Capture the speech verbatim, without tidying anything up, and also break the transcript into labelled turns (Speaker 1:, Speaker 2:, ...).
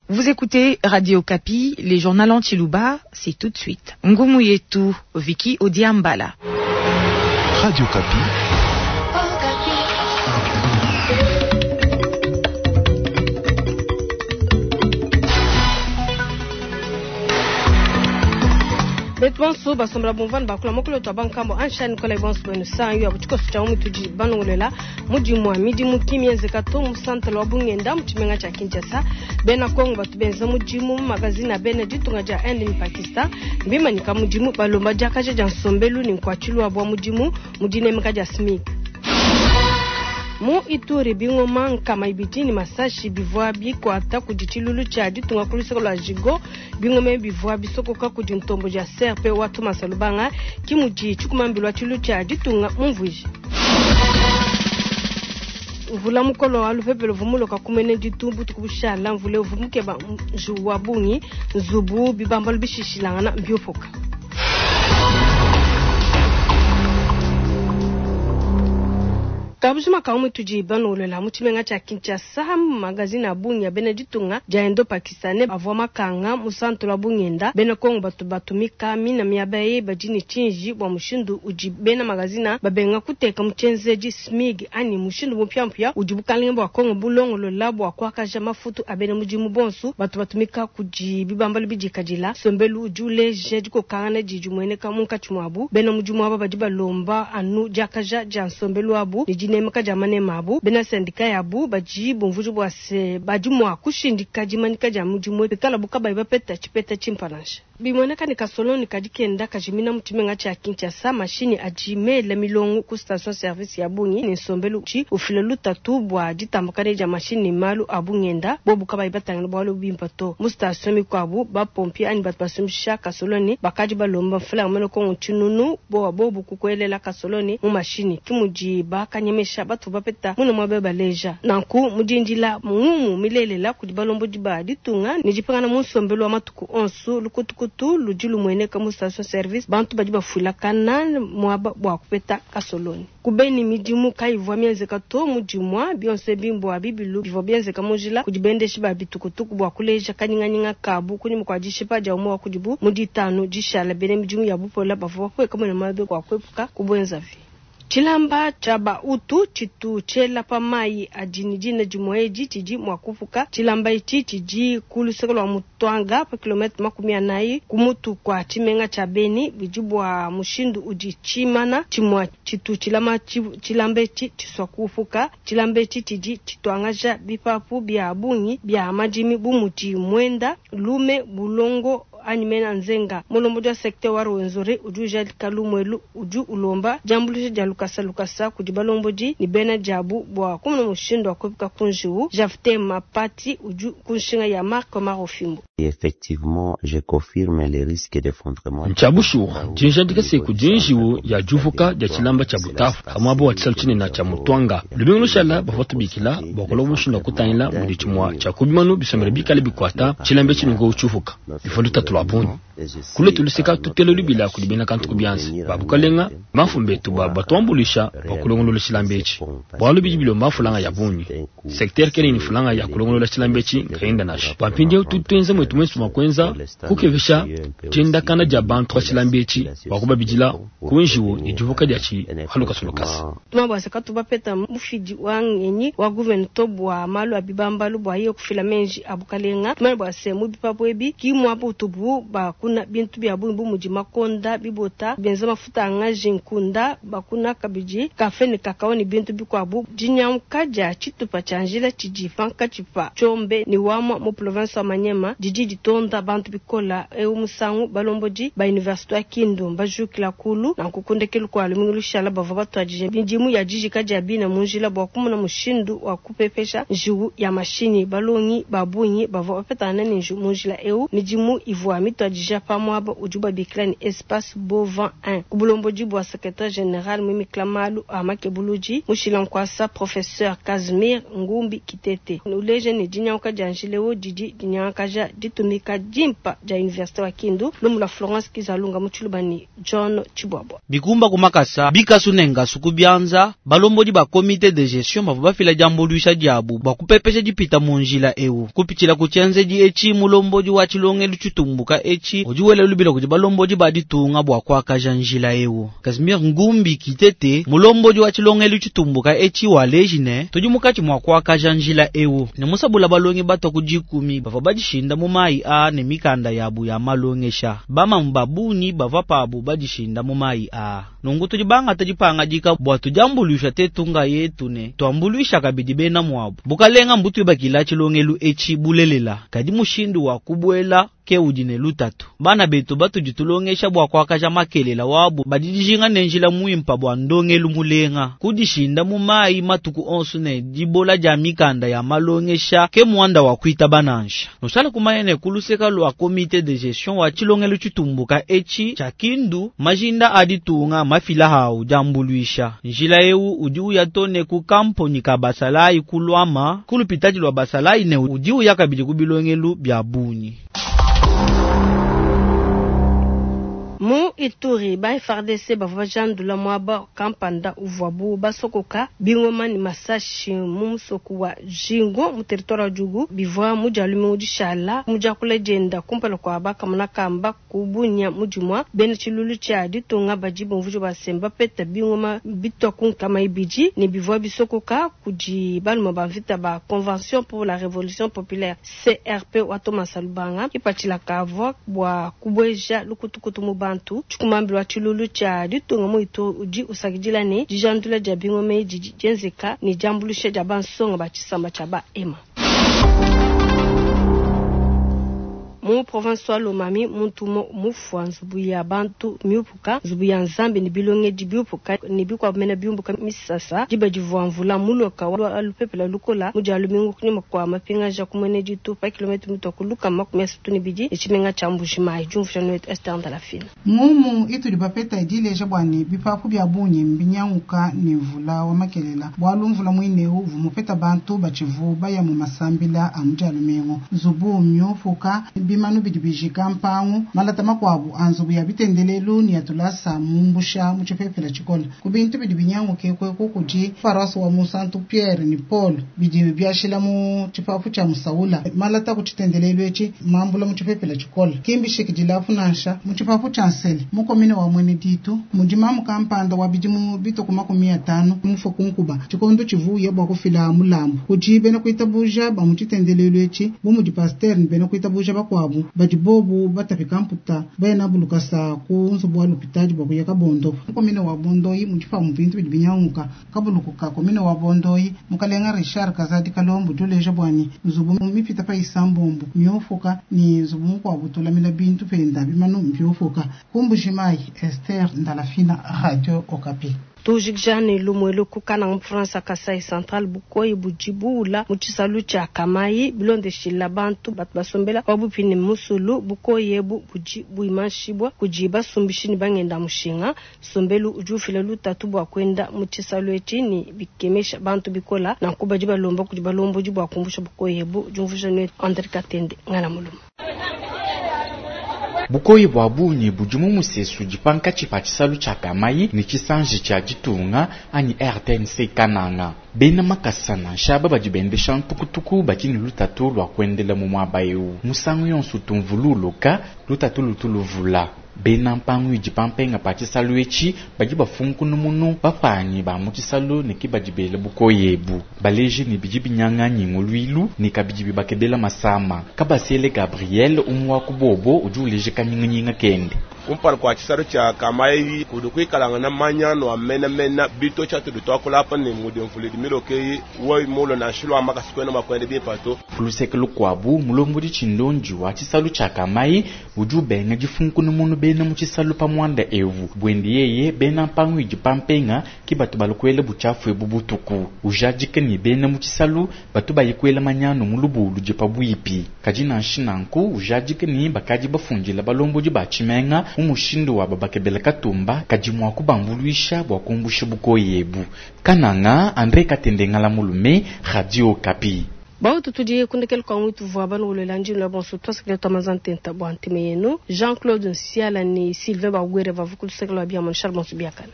Speaker 1: Vous écoutez Radio Okapi, les journaux en Tshiluba, c'est tout de suite. Ngumu yetu, Vicky Odiambala.
Speaker 2: Radio Okapi.
Speaker 3: Betu bonso basombela bumvua ne bakula mukulu wetu wa bankambo ansha Nicolas bonso bwenu sanyu ya butshikoso tshia mutudi balongolola mudimu wa midimu ki mienzeka to mu santala wa bungenda mu tshimenga tshia Kinshasa. Bena Kongo batu benza mudimu mu magazine a bena ditunga dia Inde ne Pakistan mbimanyika mudimu balomba diakaja dia nsombelu ne nkuatshilu wabu wa mudimu mu dinemeka dia SMIC. Mu Ituri bingoma nkama ibidi ne masashi bivua bikuata kudi tshilulu tshia ditunga ku luseke lua Jigo. Bingoma bivua bisokoka kudi ntombo dia C R P wa Thomas Lubanga ki mudi tshikumambilwa tshilulu tshia ditunga mumvuije. Mvula mukolo wa lupepele uvua kumene ditu butuku bushala mvula uvua mukeba njiwu wa bungi nzubu bibambalu bishishilangana mbiopoka. Kabujima ka mutudi balongolola mu tshimenga tshia Kinshasa magazine a bungi a bena ditunga dia Indo Pakistanais avua makanga mu santu lwa bungenda. Bena Kongo batu batumika mina miaba eyi badi ne tshinji bua mushindu udi bena magazine babenga kuteka mu tshienzedi SMIG anyi mushindu mupiamupia udi bukalenge bua Kongo bulongolola bua kuakaja mafutu a bena mudimu bonso batu batumika kudi bibambalu bidikadila. Nsombelu udi uleja dikokangana didi dimueneka munkatshi muabu. Bena mudimu aba badi balomba anu diakaja dia nsombelu wabu ne dinemeka dia manema abu. Bena sendika yabu badi bumvuija bua se badi mua kushindika dimanyika dia mudimu pikalabu kabayi bapeta tshipeta tshimpe nansha. Bimueneka ne kasoloni kadi kenda kajimina mu tshimenga tshia Kinshasa mashinyi adi mela milongo ku station service ya bungi ne nsombelu tshi ufila lutatu bua ditambakana dia mashinyi ne malu a bungenda bobu kabayi batangila bualu bimpe to. Mu station mikuabu bapompiers anyi batu basumbisha kasoloni bakadi balomba mfulanga mene Kongo tshinunu bowa bobu kukuelela kasoloni mu mashinyi ki mudi bakanyemesha batu bapeta muna muaba baleja. Nanku mudindila ngumu milelela kudi balombodi ba ditunga ne dipangana mu nsombelu wa matuku onso lukutukutu ludi lumueneka mu station service bantu badi bafuilakana muaba bua kupeta kasoloni. Kubeni midimu kayivua mienzeka to mu dimua bionso ebi mbua bibilu bivua bienzeka mu njila kudi bendeshi ba bitukutuku bua kuleja kanyinganyinga kabu kunyima kua dishipa dia umue wa kudibu mu ditanu dishala bena midimu ya bupola bavua bapueka muena mabe bua kuepuka kubuenzavi. Tshilamba tshia bautu tshitu tshiela pa mayi adi ne dina dimue edi tshidi mua kupuka. Tshilamba etshi tshidi ku luseke lua Mutwanga pa kilometre makumi anayi ku mutu kua tshimenga tshia Beni. Bidi bua mushindu udi tshimana tshimue tshitu tshilama tshilamba etshi tshisua kupuka. Tshilamba etshi tshidi tshituangaja bipapu bia bungi bia madimi bu mudi mwenda, lume, bulongo anyi mena nzenga. Mulombodi wa secteur wa Rwenzori udi ujadika lumuelu udi ulomba diambuluisha dia lukasa lukasa kudi balombodi ne bena diabu bua kumona mushindu wa kuepuka ku njiwu. Jafte Mapati udi ku nshinga ya Marc Marofimbo.
Speaker 4: Effectivement, je confirme les risques d'effondrement.
Speaker 5: Ntshia bushuwa dinjadika se kudi njiwu ya diuvuka dia tshilamba tshia butafu pamuaba wa tshisalu tshinene tshia Mutwanga. Lumingu lushala bavua tubikila bua kulomba mushindu wa kutangila mudi tshimua tshia ku bimanu bisombela bikale bikuata tshilamba etshi nunku tshiuvuka bivua lutatu lua bungi. Kule tuluseka tutele lubila kudi bena kantu ku bianza ba bukalenga bamfumu betu ba batuambuluisha bua kulongolola tshilamba etshi bualu bidi bilomba mfulanga ya bungi. Secteur kena ne fulanga ya kulongolola tshilamba etshi nkayenda nansha. Bua mpindieu tudi tuenza mwetu muenso mua kuenza kukepesha diendakana dia bantu pa tshilamba etshi bua kubabidila ku njiwu ne diuvuka diatshi pa lukasa lukasa.
Speaker 3: Tumabwasa katu bapeta mufidi wa ngenyi wa gouvernement bua malu a bibambalu bua iye kufila menji a bukalenga. Tumanye bua se mu bipapu ebi ki muaba utubu bakuna bintu bia bungi bu mudi makonda, bibota, benza mafuta a ngaji, nkunda, bakuna kabidi kafe ne kakao ne bintu bikuabu. Dinyanguka dia tshitupa tshia njila tshidi pankatshi pa Tshombe ne Wamwa mu province wa Maniema didi ditonda bantu bikola. Eu musangu balombodi ba université wa Kindu mbajukila kulu nanku kundekelu kua lumingu lushala bavua batuadije midimu ya dijika dia bina mu njila bua kumona mushindu wa kupepesha njiwu ya mashinyi. Balongi ba bungi bavua bapetana ne njiwu mu njila eu. Midimu ivua ivua mituadija pa muaba udibu babikila ne Espace Bovan un. Ku bulombodi bua secrétaire général muimikila malu a makebuludi mushila nkuasa professeur Casimir Ngumbi Kitete. Uleje ne dinyanguka dia njila eu didi dinyangakaja ditumika dimpa dia université wa Kindu. Lumu lua Florence Kizalunga mu Tshiluba ne John Tshibwabwa.
Speaker 6: Bikumba kumakasa bikasu ne ngasu kubianza balombodi ba comité de gestion bavua bafila diambuluisha diabu bua kupepesha dipita mu njila eu kupitshila ku tshienzedi etshi mulombodi wa tshilongelu tshitumbuka etshi udi wela lubila kudi balombodi ba ditunga bua kuakaja njila eu. Casimir Ngumbi Kitete mulombodi wa tshilongelu tshitumbuka etshi waleji ne tudi mukatshi mua kuakaja njila eu ne musabula balongi batwa ku dikumi bavua badishinda mu mayi a ne mikanda yabu ya malongesha bamamu babunyi bavua pabu badishinda mu mayi a nungu tudi bangata dipangadika bua tudiambuluisha tetunga yetu ne tuambuluisha kabidi bena muabu bukalenga mbutu ibakila tshilongelu etshi bulelela kadi mushindu wa kubuela ke udi ne lutatu bana betu batudi tulongesha bua kuakaja makelela wabu badidijinga ne njila muimpa bua ndongelu mulenga kudishinda mu mayi matuku onso ne dibola dia mikanda ya malongesha ke muanda wa kuita banansha nusala kumanya ne kuluseka lua comité de gestion wa tshilongelu tshitumbuka etshi tshia Kindu majinda aditunga mafila hau diambuluisha njila eu udi uya tone ku kamponi ka basalayi kulwama kulupitadi lwa basalayi ne udi uya kabidi ku bilongelu bia bunyi.
Speaker 3: Mu Ituri ba F A R D C bavua bajandula muaba kampanda uvuabu basokoka bingoma ne masashi mu musoku wa Jingo mu territoire wa Djugu bivua mu dia lumingu dishala mu diakula dienda kumpala kua bakamona kamba kubunya mudimua bena tshilulu tshia ditunga badi bumvuija basemba peta bingoma bitwa ku nkama ibidi ne bivua bisokoka kudi baluma ba mvita ba Convention pour la Révolution Populaire C R P wa Thomas Lubanga ipatshila kavua bua kubueja lukutukutu mu bantu tshikumambilo wa tshilulu tshia ditunga mu Ituri udi usakidila ne dijandula dia bingoma didi dienzeka ne diambuluisha dia bansonga ba tshisamba tshia ba Ema. Mu province wa Lomami muntu mufwa nzubu ya bantu miupuka nzubu ya Nzambi ne bilongedi biupuka ne bikwamena biumbuka misasa diba divua mvula muloka wa lupepela lukola mu dia lumingu kunyima kwa mapingaja kumwene ditu pa kilomètre mitwa kuluka makumi asatu ne bidi etshimenga tshia Mbujimayi diumvuija noetu Esther Ndalafina.
Speaker 7: Ngumu itudi bapeta dileja bwani bipapu bya bunyi mbinyanguka ne mvula wa makelela bwalu mvula mwineu vumupeta bantu batshivu baya mu masambila a mu dia lumingu nzubu miupuka bimanu bidi bijika mpangu malata makwabu anzubu ya bitendelelu ni yatulasa mumbusha mu tshipepela tshikola ku bintu bidi binyanguke kweku kudi paroisse wa Musantu Pierre ni Paul bidi byashila mu tshipapu tshia Musaula malata ku tshitendelelu etshi mambula mu tshipepela tshikola kimbishiki dilapu nansha mu tshipapu tshia Nsele mu komine wa Mwene Ditu mudimamu kampanda wa bidimu bituku makumi atanu mufo kunkuba tshikondo tshivuya bua kufila mulambu kudi bena kuitabuja ba mu tshitendelelu etshi bu mudi pasteur ni bena kuitabuja bakwabu badi bobu batapika mputa bena bulukasa ku nzubu wa lupitadi bua kuya kabondo komine wa Bondoyi mudipa mu bintu bidi binyanguka kabulukuka komine wa Bondoyi mukalenga Richard Kazadi Kalombo duleja bwani nzubu mipita pa isambombo miofuka ni nzubu mukwabu tulamila bintu penda bimanu mbiofuka ku Mbujimayi Esther Ndalafina Radio Okapi.
Speaker 3: Tujikjane lumwelo kukana mu France Kasai Central bukoyi bujibuula mu tshisalu tshia Kamayi bilondeshila bantu batu basombela wabupini musulu bukoyi ebu budi buimanshibwa kudi basumbishi ni bangenda mushinga sombelu udi ufila lutatu bua kwenda mu tshisalu etshi ni bikemesha bantu bikola na kubadi balomba kudi balombodi bua kumbusha bukoyi ebu diumvuija ne Andre Katende ngala muluma.
Speaker 8: Bukoyi bwa bunyi budi mu musesu dipankatshi pa tshisalu tshia Kamayi ne tshisanji tshia ditunga anyi R T N C Kananga. Bena makasa nansha aba badi bendesha ntukutuku badi ne lutatu lua kuendela mu muaba eu. Musangu yonso tumvululuka lutatu lutu luvula. Bena mpangu idi pampenga pa tshisalu etshi badi bafunkunumunu bapanyi ba mu tshisalu ne ke badi bela bukoyi ebu. Baleji ne bidi binyanganyi nguluilu ne kabidi bibakebela masama. Kabasele Gabriel umwe wa kubobo udi uleja kanyinganyinga kende.
Speaker 9: Kumpala kua tshisalu tshia Kamayi kudi kuikalangana manyanu a menamena bitotshi atudi tuakula apa ne mudi mvula idi miloke eyi wewe mulo nansha lua makasa kuena mua kuenda bimpe to.
Speaker 8: Ku luseke lukuabu, mulombodi tshindondi wa tshisalu tshia Kamayi udi ubenga difunkuna munu bena mu tshisalu pa muanda ewu. Buende yeye bena mpangu idi pa mpenga ke batu balua kuela butshiafu ebu butuku. Ujadika ne bena mu tshisalu batu baye kuela manyanu mu lubulu ludi pabuipi. Kadi nansha nanku ujadika ne bakadi bafundila balombodi ba tshimenga mu mushindu wa babakebela katumba kadi mua kubambuluisha bua kumbusha bukoyi ebu. Kananga, André Katende Ngala Mulume, Radio Okapi.
Speaker 3: Bautu tudi kundekela kwa mwitu vwa banu ulela njini la bonso twasakila twamanza ntenta bwa ntime yenu Jean-Claude Nsiala ni Sylvain Bagwere vavu kulusekela bia mon Charles Bonso biakana.